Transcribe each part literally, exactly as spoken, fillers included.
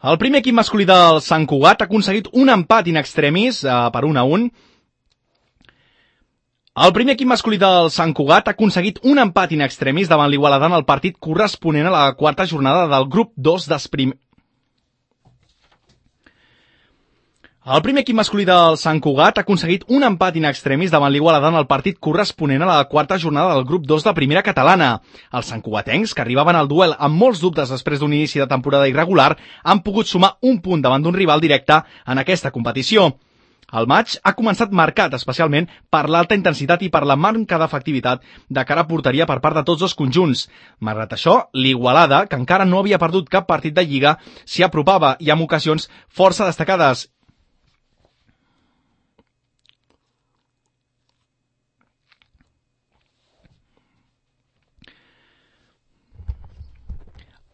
El primer equip masculí del Sant Cugat ha aconseguit un empat in extremis eh, per un a un. El primer equip masculí del Sant Cugat ha aconseguit un empat in extremis davant l'Igualada en el partit corresponent a la quarta jornada del grup dos d'Esprim. El primer equip masculí del Sant Cugat ha aconseguit un empat in extremis davant l'Igualada en el partit corresponent a la quarta jornada del grup dos de primera catalana. Els santcugatencs, que arribaven al duel amb molts dubtes després d'un inici de temporada irregular, han pogut sumar un punt davant d'un rival directe en aquesta competició. El maig ha començat marcat especialment per l'alta intensitat i per la manca d'efectivitat de cara a porteria per part de tots dos conjunts. Malgrat això, l'Igualada, que encara no havia perdut cap partit de Lliga, s'hi apropava i amb ocasions força destacades.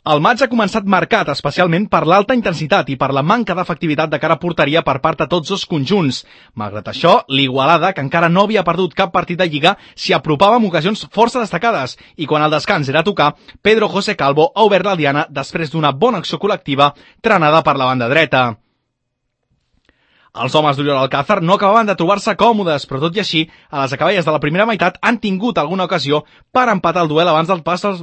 El maig ha començat marcat especialment per l'alta intensitat i per la manca d'efectivitat de cara a porteria per part de tots dos conjunts. Malgrat això, l'Igualada, que encara no havia perdut cap partit de Lliga, s'hi apropava amb ocasions força destacades i quan el descans era a tocar, Pedro José Calvo ha obert la diana després d'una bona acció col·lectiva trenada per la banda dreta. Els homes d'Oriol Alcázar no acabaven de trobar-se còmodes, però tot i així, a les acaballes de la primera meitat han tingut alguna ocasió per empatar el duel abans del pas dels...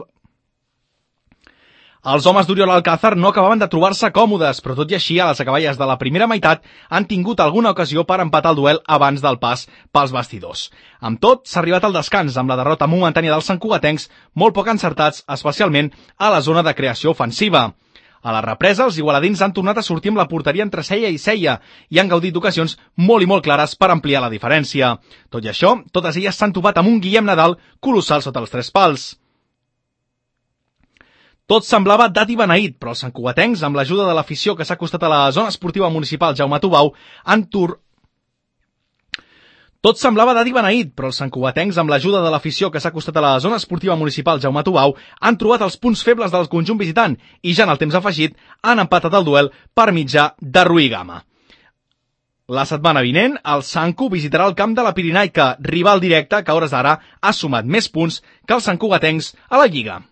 Els homes d'Oriol Alcázar no acabaven de trobar-se còmodes, però tot i així, a les acaballes de la primera meitat, han tingut alguna ocasió per empatar el duel abans del pas pels bastidors. Amb tot, s'ha arribat al descans amb la derrota momentània dels santcugatencs, molt poc encertats, especialment a la zona de creació ofensiva. A la represa, els igualadins han tornat a sortir amb la porteria entre ceia i ceia i han gaudit d'ocasions molt i molt clares per ampliar la diferència. Tot i això, totes elles s'han topat amb un Guillem Nadal colossal sota els tres pals. Tot semblava dat i beneït, però els santcugatencs, amb l'ajuda de l'afició que s'ha acostat a la zona esportiva municipal Jaume Tubau, han tur... Tot semblava dat i beneït, però els santcugatencs, amb l'ajuda de l'afició que s'ha acostat a la zona esportiva municipal Jaume Tubau, han trobat els punts febles del conjunt visitant i ja en el temps afegit han empatat el duel per mitjà de Rui Gama. La setmana vinent, el Santcu visitarà el camp de la Pirinaica, rival directe que a hores d'ara ha sumat més punts que els santcugatencs a la Lliga.